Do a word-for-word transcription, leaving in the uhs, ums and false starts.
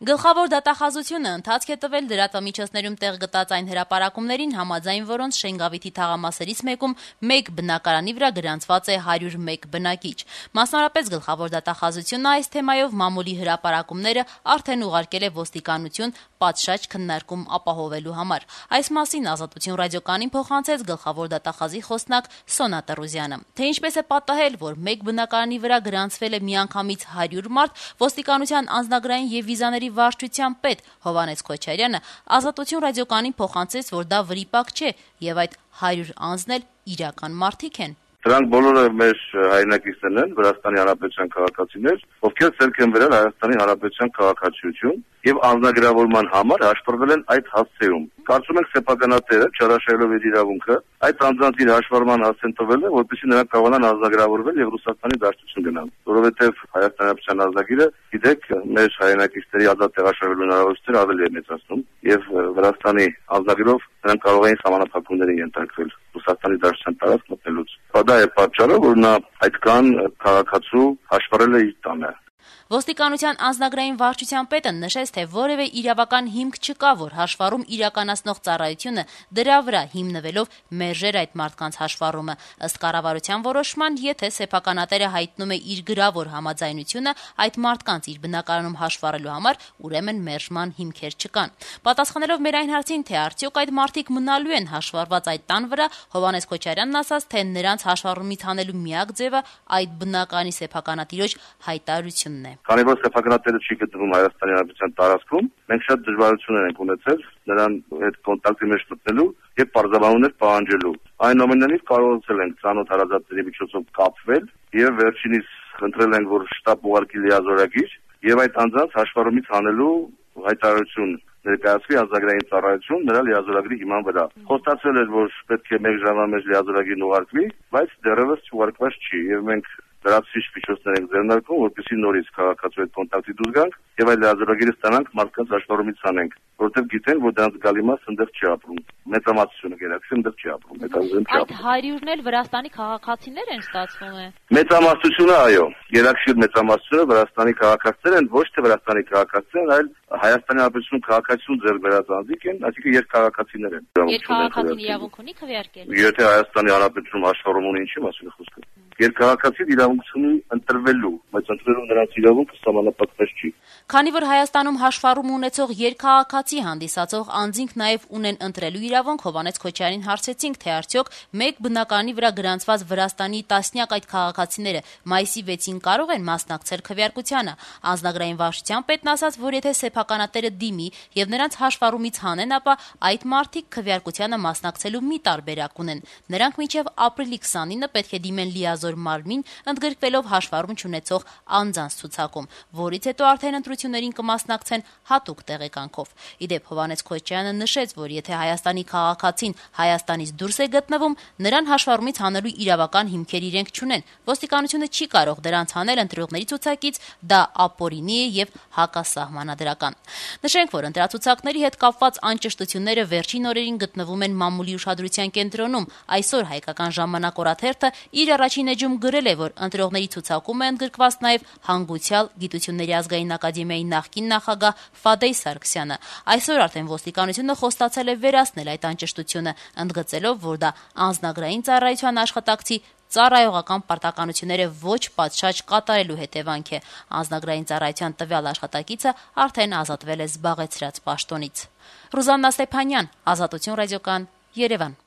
Գլխավոր դատախազությունը ընթացք է տվել լրատվամիջոցներում տեղ գտած այն հրապարակումներին, համաձայն որոնց Շենգավիթի թաղամասերից մեկում մեկ բնակարանի վրա գրանցված է հարյուր մեկ բնակիչ։ Մասնավորապես գլխավոր դատախազությունը այս թեմայով մամուլի հրապարակումները արդեն ուղարկել է ոստիկանություն պատշաճ քննարկում ապահովելու համար։ Այս մասին Ազատություն ռադիոկայանին փոխանցեց գլխավոր դատախազի խոսնակ Սոնա Տրուզյանը։ Թե ինչպես է պատահել, որ մեկ բնակարանի վրա գրանցվել է միանգամից հարյուր մարդ, ոստիկանության անձնագրային եւ վիզաների վարչության պետ Հովհաննես Քոչարյանը Ազատություն ռադիոկայանին փոխանցեց, որ դա վրիպակ չէ եւ այդ հարյուր անձն էլ իրական մարդիկ են։ Դրանք բոլորը մեր հայրենակիցներն են, Վրաստանի Հանրապետության քաղաքացիներ, ովքեր ցերկ են բերել Հայաստանի Հանրապետության քաղաքացիություն եւ անձնագրավորման համար հաշվառվել են այդ հասցեում։ Կարծում ենք սեփականատերը, չարաշահելով իր իրավունքը, այդ անձանց իր հաշվառման հասցեն տվել է, որպեսզի նրանք կարողանան անձնագրավորվել եւ Ռուսաստանի դաշտություն գնան։ Որովհետեւ Հայաստանի Հանրապետության ազգագիրը, գիտեք, մեր հայրենակիցների ազատ տեղաշարժվելու հնարավորությունները ավելի է մեծացնում եւ Վրաստանի ազգագրով նրանք կարող էին սահմանափակումների ենթարկվել Ռուսաստանի դաշտության տարածք մտնելուց։ Դա է պատճառը, որ նա այդքան քաղաքացու հաշվառել է իր տանը։ Ոստիկանության անձնագրային վարչության պետը նշեց, թե որևէ իրավական հիմք չկա, որ հաշվառում իրականացնող ծառայությունը դրա վրա հիմնվելով մերժեր այդ մարդկանց հաշվառումը։ Ըստ կառավարության որոշման, եթե սեփականատերը հայտնում է իր գրավոր համաձայնությունը այդ մարդկանց իր բնակարանում հաշվառելու համար, ուրեմն մերժման հիմքեր չկան։ Պատասխանելով մեր այն հարցին, թե արդյոք այդ մարդիկ մնալու են հաշվառված այդ տան վրա, Հովհաննես Քոչարյանն ասաց, թե նրանց հաշվառումից հանելու միակ ձևը այդ բնականի սեփականատիրոջ հայտարարությունն է։ Քանի որ սեփականատերը չի գտնվում Հայաստանի Հանրապետության տարածքում, մենք շատ դժվարություններ ենք ունեցել նրան հետ կոնտակտի մեջ մտնելու եւ պարզաբանումներ պահանջելու։ Այնուամենայնիվ կարողացել ենք ցանոթ հարազատների միջոցով կապվել եւ վերջինիս խնդրել ենք, որ շտապ ուղարկի լիազորագիր եւ այդ անձանց հաշվառումից հանելու հայտարարություն ներկայացվի ազգագրային ծառայություն նրա լիազորագրի հիման վրա։ Խոստացել էր, որ պետք է մեկ ժամվա մեջ լիազորագիրն ուղարկվի, բայց դեռևս չուղարկված չի եւ մենք դրացիչ միջոցներ ենք ձեռնարկում, որպեսզի նորից քաղաքացու հետ կոնտակտի դուրս գանք եւ այդ լիազորագիրը ստանանք մարդկանց հաշվառումից անենք, որովհետեւ գիտեն, որ դրանց գալի մասը այնտեղ չի ապրում։ Մեծամասնությունը գերակշռ այնտեղ չի ապրում, հետազոտում չի ապրում։ Այդ հարյուրն էլ Վրաստանի քաղաքացիներ են, ստացվում է։ Մեծամասնությունը, այո, գերակշիռ մեծամասնությունը Վրաստանի քաղաքացիներ են, ոչ թե Վրաստանի քաղաքացիներ, այլ Հայաստանի Հանրապետությունում քաղաքացիություն ձեռք բերած անձիկ են, այսինքն երկքաղաքացիներ են։ Երկքաղաքացին իրավունք ունի քվեարկել։ Եթե Հայաստանի Հանրապետությունում հաշվառում ունի, ինչի՞ մասին է խոսքը։ Երկքաղաքացին իրավունք ունի ընտրվելու, բայց ընտրվելու նրանց իրավունքը սահմանափակված չի։ Քանի որ Հայաստանում հաշվառում ունեցող երկքաղաքացի հանդիսացող անձինք նաև ունեն ընտրելու իրավունք, Հովհաննես Քոչարյանին հարցրեցինք, թե արդյոք մեկ բնակարանի վրա գրանցված Վրաստանի տասնյակ այդ քաղաքացիները մայիսի վեցին կարող են մասնակցել քվեարկությանը։ Անձնագրային վարչության պետն ասաց, որ եթե սեփականատերը դիմի եւ նրանց հաշվառումից հանեն, ապա այդ մարդիկ քվեարկությանը մասնակցելու մի տարբերակ ունեն։ Նրանք մինչեւ ապրիլի քսանինը պետք է դիմեն լիազոր մարմին, ընդգրկվելով հաշվառում չունեցող անձանց ցուցակում, որից հետո արդեն ընտրություններին կմասնակցեն հատուկ տեղեկանքով։ Իդեպ Հովհաննես Քոչարյանը նշեց, որ եթե Հայաստանի քաղաքացին Հայաստանից դուրս է գտնվում, նրան հաշվառումից հանելու իրավական հիմքեր իրենք չունեն։ Ոստիկանությունը չի կարող դրանց հանել ընտրողների ցուցակից, դա ապօրինի է եւ հակասահմանադրական։ Նշենք, որ ընտրացուցակների հետ կապված անճշտությունները վերջին օրերին գտնվում են մամուլի ուշադրության կենտրոնում։ Այսօր Հայկական ժամանակ օրաթերթը իր առաջին էջում գրել է, որ ընտրողների ցուցակում է ընդգրկված նաև հանգուցյալ Գիտությունների ազգային ակադեմիայի նախկին նախագահ Ֆադեյ Սարգսյանը։ Այսօր արդեն ոստիկանությունը խոստացել է վերացնել այդ անճշտությունը, ընդգծելով, որ դա անձնագրային ծառայության աշխատակցի ծառայողական պարտականությունները ոչ պատշաճ կատարելու հետևանք է։ Անձնագրային ծառայության տվյալ աշխատակիցը արդեն ազատվել է զբաղեցրած պաշտոնից։ Ռուզաննա Ստեփանյան, Ազատություն ռադիոկայան, Երևան։